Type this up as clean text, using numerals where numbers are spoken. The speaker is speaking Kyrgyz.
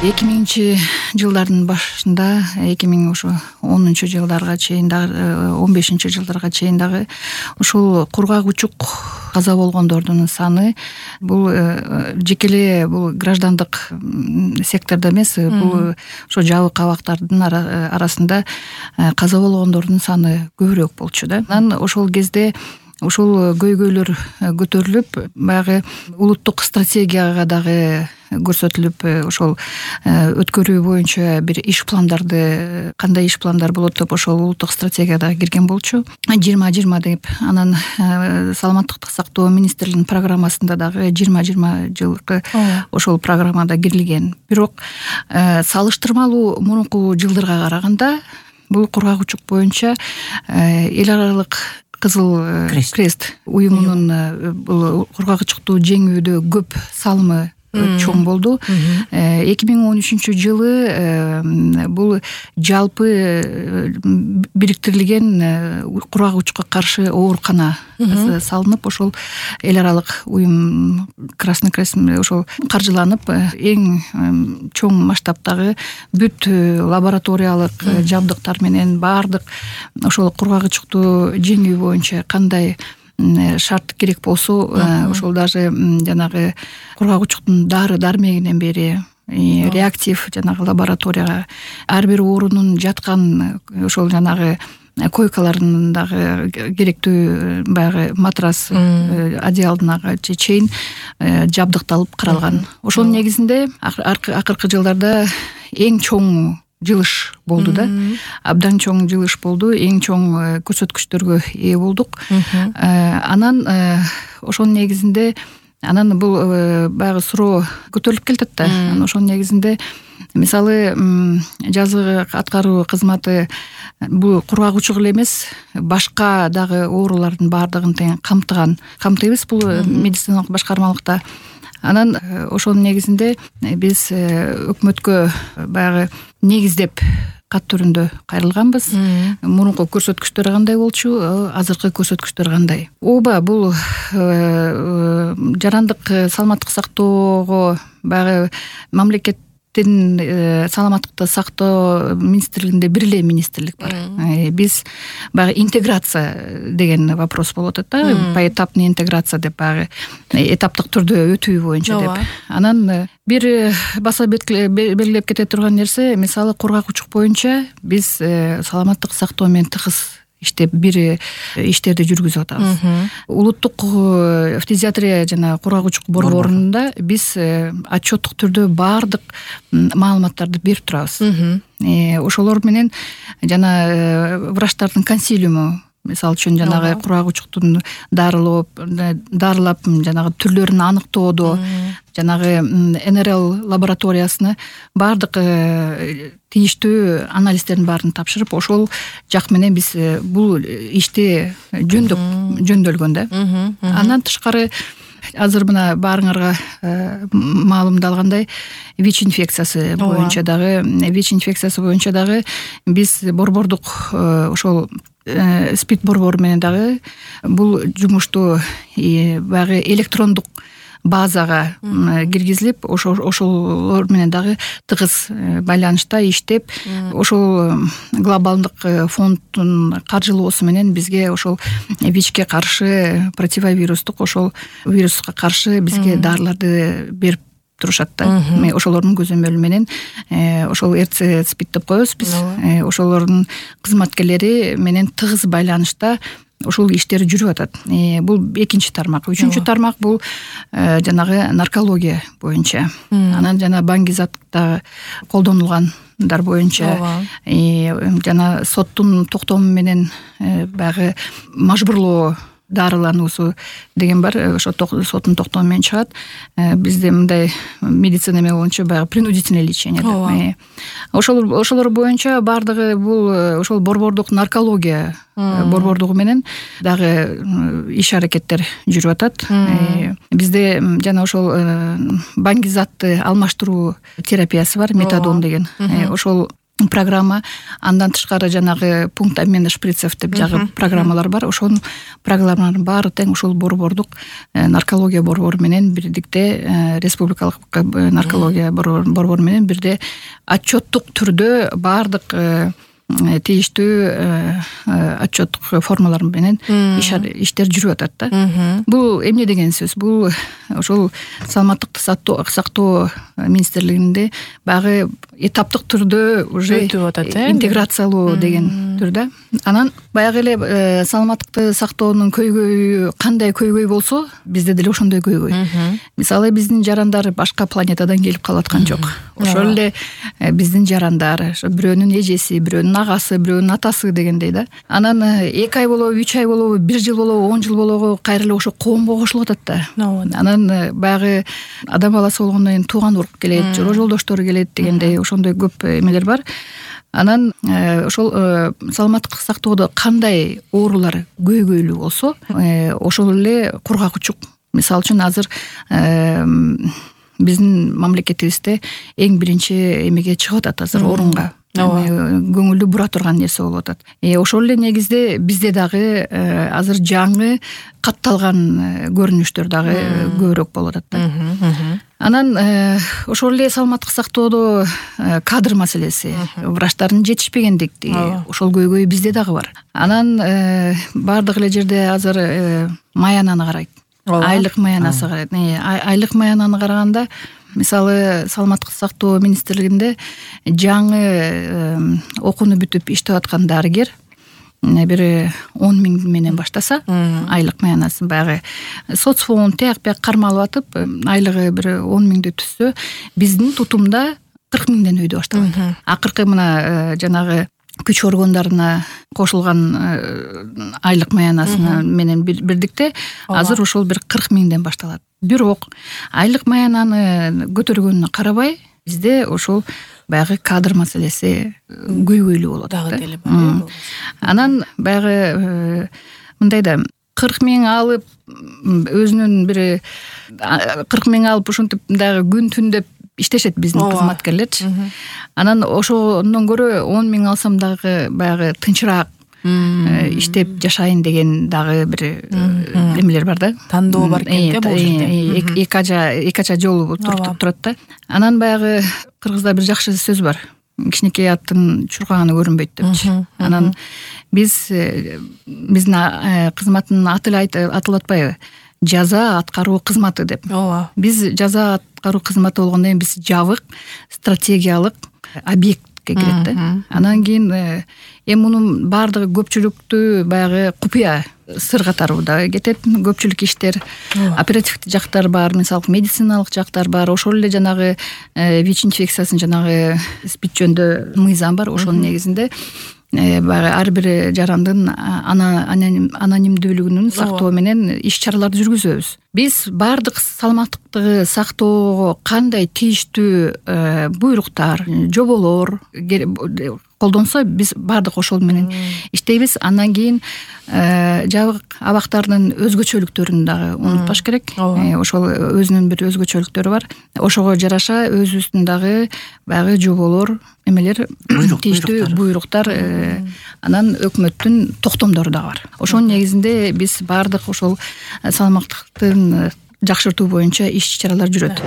2000-жылдардын башында 2010-жылдарга чейин дагы 15-жылдарга чейин дагы ушул кургак учук каза болгондордун саны бул жеке бул граждандык сектордо эмес, бул ошо жабык абактардын арасында каза болгондордун саны көбүрөөк болчу да. Анан ошол кезде ушул көйгөйлөр көтөрүлүп, баягы улуттук стратегияга дагы көрсөтүлүп, ошол өткөрүү боюнча бир иш пландарды, кандай иш пландар болот деп ошол улуттук стратегияда кирген болчу. 2020 деп, анан саламаттыкты сактоо министрлигинин программасында дагы 2020 жылкы ошол программада кирилген. Бирок салыштырмалуу мурунку жылдарга караганда бул кургак учук боюнча эл аралык Кызыл Крест уюмунун бул кургак учукту жеңүүдө көп салымы чоң болду. 2013-жылы бул жалпы бириктирилген кургак учукка каршы оорукана салынып, ошол эл аралык уюм Красный Крест ошол каржыланып, эң чоң масштабтагы бүт лабораториялык жабдыктар менен баардык ошол кургак учукту жеңүү боюнча кандай шарт керек болсо, ошол даже жанагы кургак учуктун дары-дармегинен бери реактив жанагы лабораторияга ар бир оорунун жаткан ошол жанагы койкаларынын дагы керектүү баягы матрас одеялына чейин жабдыкталып каралган. Ошол негизинде акыркы жылдарда эң чоң жылыш болду да. Абдан чоң жылыш болду, эң чоң көрсөткүчтөргө ээ болдук. Анан ошол негизинде бул баягы суроо көтөрүлүп келатат да. Ошол негизинде мисалы жазгы аткаруу кызматы бул кургак учук эле эмес, башка дагы оорулардын баардыгын тең камтыйбыз бул медициналык башкармалыкта. Анан ошол негизинде биз өкмөткө баягы негиздеп кат түрүндө кайрылганбыз. Мурунку көрсөткүчтөр кандай болчу, азыркы көрсөткүчтөр кандай? Ооба, бул жарандык саламаттык сактоого баягы мамлекеттин саламаттыкты сактоо министрлигинде бир эле министрлик бар. Биз баягы интеграция деген вопрос болуп атат да, поэтапный интеграция деп, баягы этаптык түрдө өтүү боюнча деп. Анан бир баса белгилеп кете турган нерсе, мисалы кургак учук боюнча биз саламаттык сактоо менен тыгыз иштеп бир иштерди жүргүзүп атабыз. Улуттук фтизиатрия жана кургак учук борборунда биз отчеттук түрдө баардык маалыматтарды берип турабыз. Ошолор менен жана врачтардын консилиуму, мисалы үчүн жанагы кургак учуктун дарылап жанагы түрлөрүн аныктоодо, жанагы НРЛ лабораториясына баардык тийиштүү анализдердин баарын тапшырып, ошол жак менен биз бул ишти жөндөлгөн да. Андан тышкары азыр мына баарыңарга маалымдалгандай ВИЧ инфекциясы боюнча дагы биз борбордук ошол СПИД борбору менен дагы бул жумушту баягы электрондук базага киргизилип, ошолор менен дагы тыгыз байланышта иштеп, ошол глобалдык фонддун каржылоосу менен бизге ошол ВИЧке каршы противовирустук ошол вируска каршы бизге дарыларды берип турушат да. Ошолордун көзөмөлү менен ошол РЦ СПИД деп коебуз биз. Ошолордун кызматкерлери менен тыгыз байланышта ошол иштер жүрүп атат. Бул экинчи тармак. Үчүнчү тармак бул жанагы наркология боюнча. Анан жана баңгизатта колдонулгандар боюнча жана соттун токтому менен баягы мажбурлоо дарылануусу деген бар. Ошо соттун токтому менен чыгат. Бизде мындай медицина эме боюнча баягы принудительное лечение деп. Ошолор боюнча баардыгы бул ошол борбордук наркология борбордугу менен дагы иш аракеттер жүрүп атат. Бизде жана ошол баңгизатты алмаштыруу терапиясы бар, метадон деген. Ошол программа. Андан тышкары жанагы пункт обмена шприцев деп жагы программалар бар. Ошонун программаларын баары тең ушул борбордук наркология борбору менен бирдикте, республикалык наркология борбору менен бирде отчеттук түрдө баардык тийиштүү отчеттук формалар менен иштер жүрүп атат да. Бул эмне деген сөз? Бул ошол саламаттыкты сактоо министрлигинде багы этаптык түрдө уже интеграциялоо деген түрдө. Анан баягы эле саламаттыкты сактоонун көйгөйү кандай көйгөй болсо, бизде деле ошондой көйгөй. Мисалы биздин жарандар башка планетадан келип калып аткан жок. Ошол эле биздин жарандар, бирөөнүн эжеси, бирөөнүн агасы, бирөөнүн атасы дегендей да. Анан 2 ай болобу, 3 ай болобу, 1 жыл болобу, 10 жыл болобу кайра эле ошо коомго кошулуп атат да. Анан баягы адам баласы болгондон кийин тууган урук келет, жолдо жолдоштору келет дегендей ошондой көп эмелер бар. Анан ошол саламаттык сактоодо кандай оорулар көйгөйлүү болсо, ошол эле кургак учук. Мисалы үчүн азыр биздин мамлекетибизде эң биринчи эмеге чыгып атат азыр орунга. Көңүлдү бура турган нерсе болуп атат. Ошол эле негизде бизде дагы азыр жаңы катталган көрүнүштөр дагы көбүрөөк болуп атат да. Анан ошол эле саламаттык сактоодо кадр маселеси, врачтардын жетишпегендиги, ошол көйгөй бизде дагы бар. Анан баардык эле жерде азыр маянаны карайт. Айлык маянасы карайт. Айлык маянаны караганда, мисалы саламаттык сактоо министрлигинде жаңы окууну бүтүп иштеп аткан дарыгер бир 10 000 менен баштаса, айлык маянасын баягы соцфонд тияк бияк кармалып атып, айлыгы бир 10 000 түшсө, биздин тутумда 40 000ден өйдө башталат. Акыркы мына жанагы күч органдарына кошулган айлык маянасына менен бирдикте азыр ошол бир 40 000ден башталат. Бирок айлык маянаны көтөргөнүнө карабай, бизде ошол баягы кадр маселеси көйгөйлүү болот да. Анан баягы мындай да 40 000 алып, өзүнүн бир 40 000 алып ушинтип дагы күн түн деп иштешет биздин кызматкерлерчи. Анан ошондон көрө 10 000 алсам дагы баягы тынчыраак иштеп жашайын деген дагы бир эмелер бар да. Тандоо бар экен бул жерде. Эки ача жол турат да. Анан баягы кыргызда бир жакшы сөз бар. Кичинекей аттын чуркаганы көрүнбөйт депчи. Анан биздин кызматтын аты эле атылып атпайбы? Жаза аткаруу кызматы деп. Биз жаза аткаруу кызматы болгондон кийин биз жабык стратегиялык объектке кирет да. Анан кийин мунун баардыгы көпчүлүктүү баягы купуя сыр катары да кетет. Көпчүлүк иштер оперативдик жактар бар, мисалы медициналык жактар бар. Ошол эле жанагы ВИЧ инфекциясын жанагы спид жөнүндө мыйзам бар. Ошонун негизинде баягы ар бир жарандын анонимдүүлүгүнүн сактоо менен иш-чараларды жүргүзөбүз. Биз баардык саламаттыкты сактоого кандай тийиштүү буйруктар, жоболор колдонсо, биз баардык ошол менен иштейбиз. Андан кийин жабык абактардын өзгөчөлүктөрүн дагы унутпаш керек. Ошол өзүнүн бир өзгөчөлүктөрү бар. Ошого жараша өзүбүздүн дагы баягы жоболор, эмелер, тийиштүү буйруктар, анан өкмөттүн токтомдору дагы бар. Ошонун негизинде биз баардык ошол саламаттыктын жакшыртуу боюнча иш-чаралар жүрөт.